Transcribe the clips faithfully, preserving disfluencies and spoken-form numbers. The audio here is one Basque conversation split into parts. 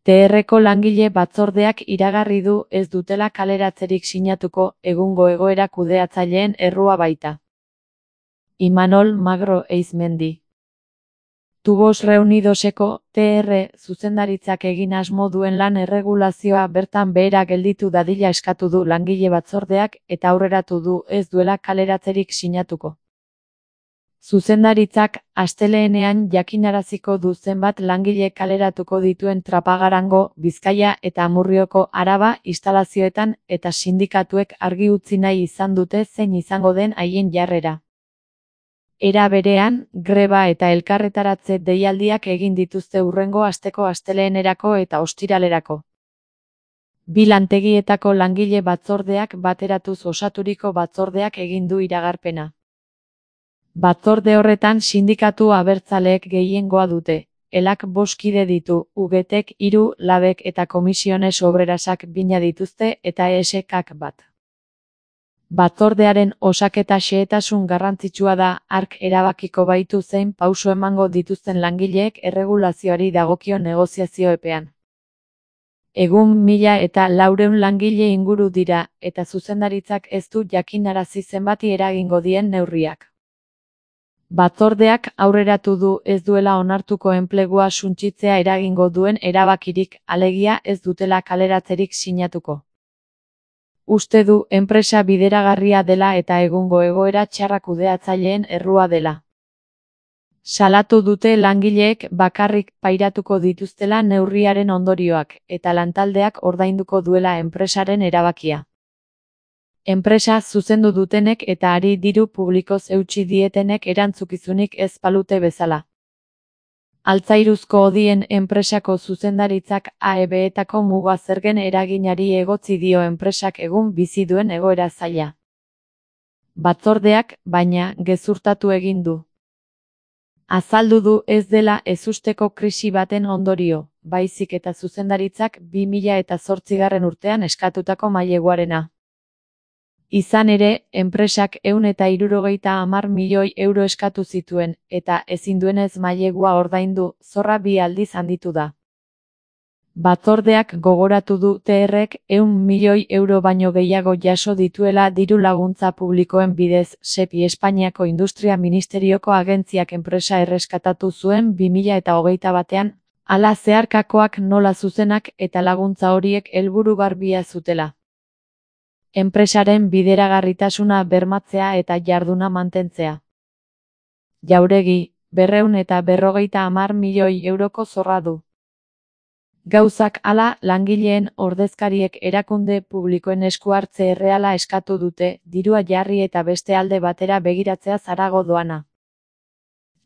T R-ko langile batzordeak iragarri du ez dutela kaleratzerik sinatuko, egungo egoera kudeatzaileen errua baita. Imanol Magro Eizmendi. Tubos Reunidoseko T R zuzendaritzak egin asmo duen lan erregulazioa bertan behera gelditu dadila eskatu du langile batzordeak eta aurreratu du ez duela kaleratzerik sinatuko. Zuzendaritzak astelehenean jakinaraziko du zenbat langile kaleratuko dituen Trapagarango, Bizkaia eta Amurrioko Araba instalazioetan eta sindikatuek argi utzi nahi izan dute zein izango den haien jarrera. Era berean, greba eta elkarretaratze deialdiak egin dituzte hurrengo asteko astelehenerako eta ostiralerako. Bi lantegietako langile batzordeak bateratuz osaturiko batzordeak egin du iragarpena. Batzorde horretan sindikatu abertzaleek gehiengoa dute, elak bost kide ditu, U G Tek hiru, Labek eta Komisiones Obrerasak bina dituzte eta E S Kak bat. Batzordearen osaketa xehetasun garrantzitsua da, hark erabakiko baitu zein pauso emango dituzten langileek erregulazioari dagokio negoziazio epean. Egun mila eta laurehun langile inguru dira, eta zuzendaritzak ez du jakinarazi zenbati eragingo dien neurriak. Batzordeak aurreratu du ez duela onartuko enplegua suntsitzea eragingo duen erabakirik, alegia ez dutela kaleratzerik sinatuko. Uste du enpresa bideragarria dela eta egungo egoera txarra kudeatzaileen errua dela. Salatu dute langileek bakarrik pairatuko dituztela neurriaren ondorioak eta lantaldeak ordainduko duela enpresaren erabakia. Enpresa zuzendu dutenek eta ari diru publikoz eutsi dietenek erantzukizunik ez balute bezala. Altzairuzko Odien enpresako zuzendaritzak A E B-etako muga zergen eraginari egotzi dio enpresak egun bizi duen egoera zaila. Batzordeak, baina, gezurtatu egin du. Azaldu du ez dela ezusteko krisi baten ondorio, baizik eta zuzendaritzak bi mila zortzigarren urtean eskatutako maileguarena. Izan ere, enpresak ehun eta hirurogeita hamar milioi euro eskatu zituen, eta ezin duenez mailegua ordaindu, zorra bi aldiz handitu da. Batzordeak gogoratu du T R-ek ehun milioi euro baino gehiago jaso dituela diru laguntza publikoen bidez, SEPI Espainiako Industria Ministerioko agentziak enpresa erreskatatu zuen bi mila hogeita batean, hala zeharkakoak nola zuzenak eta laguntza horiek helburu garbia zutela. Enpresaren bideragarritasuna bermatzea eta jarduna mantentzea. Jauregi, berrehun eta berrogeita hamar milioi euroko zorra du. Gauzak hala, langileen ordezkariek erakunde publikoen esku hartze erreala eskatu dute, dirua jarri eta beste alde batera begiratzea zarago doana.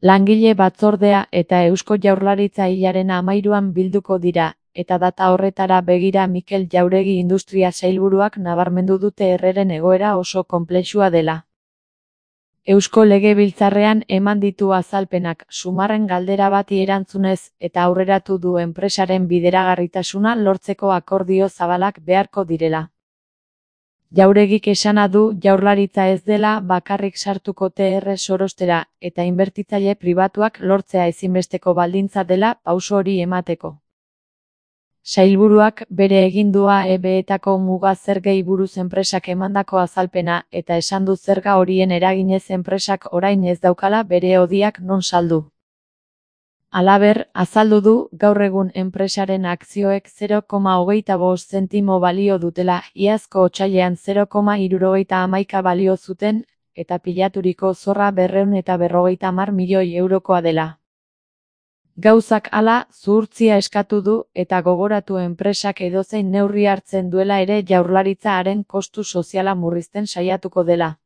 Langile batzordea eta Eusko Jaurlaritza hilaren hamairuan bilduko dira, eta data horretara begira Mikel Jauregi Industria Sailburuak nabarmendu du T R-ren egoera oso konplexua dela. Eusko Legebiltzarrean eman ditu azalpenak Sumarren galdera bati erantzunez eta aurreratu du enpresaren bideragarritasuna lortzeko akordio zabalak beharko direla. Jauregik esana du Jaurlaritza ez dela bakarrik sartuko T R sorostera eta inbertitzaile pribatuak lortzea ezinbesteko baldintza dela pauso hori emateko. Sailburuak bere egindua E B-etako muga zergei buruz enpresak emandako azalpena eta esan du zerga horien eraginez enpresak orain ez daukala bere hodiak non saldu. Halaber, azaldu du gaur egun enpresaren akzioek zero koma hogeita bost zentimo balio dutela, iazko otsailean zero koma hirurogeita hamaika balio zuten, eta pilaturiko zorra berrehun eta berrogeita hamar milioi eurokoa dela. Gauzak hala, zuhurtzia eskatu du eta gogoratu enpresak edozein neurri hartzen duela ere Jaurlaritza haren kostu soziala murrizten saiatuko dela.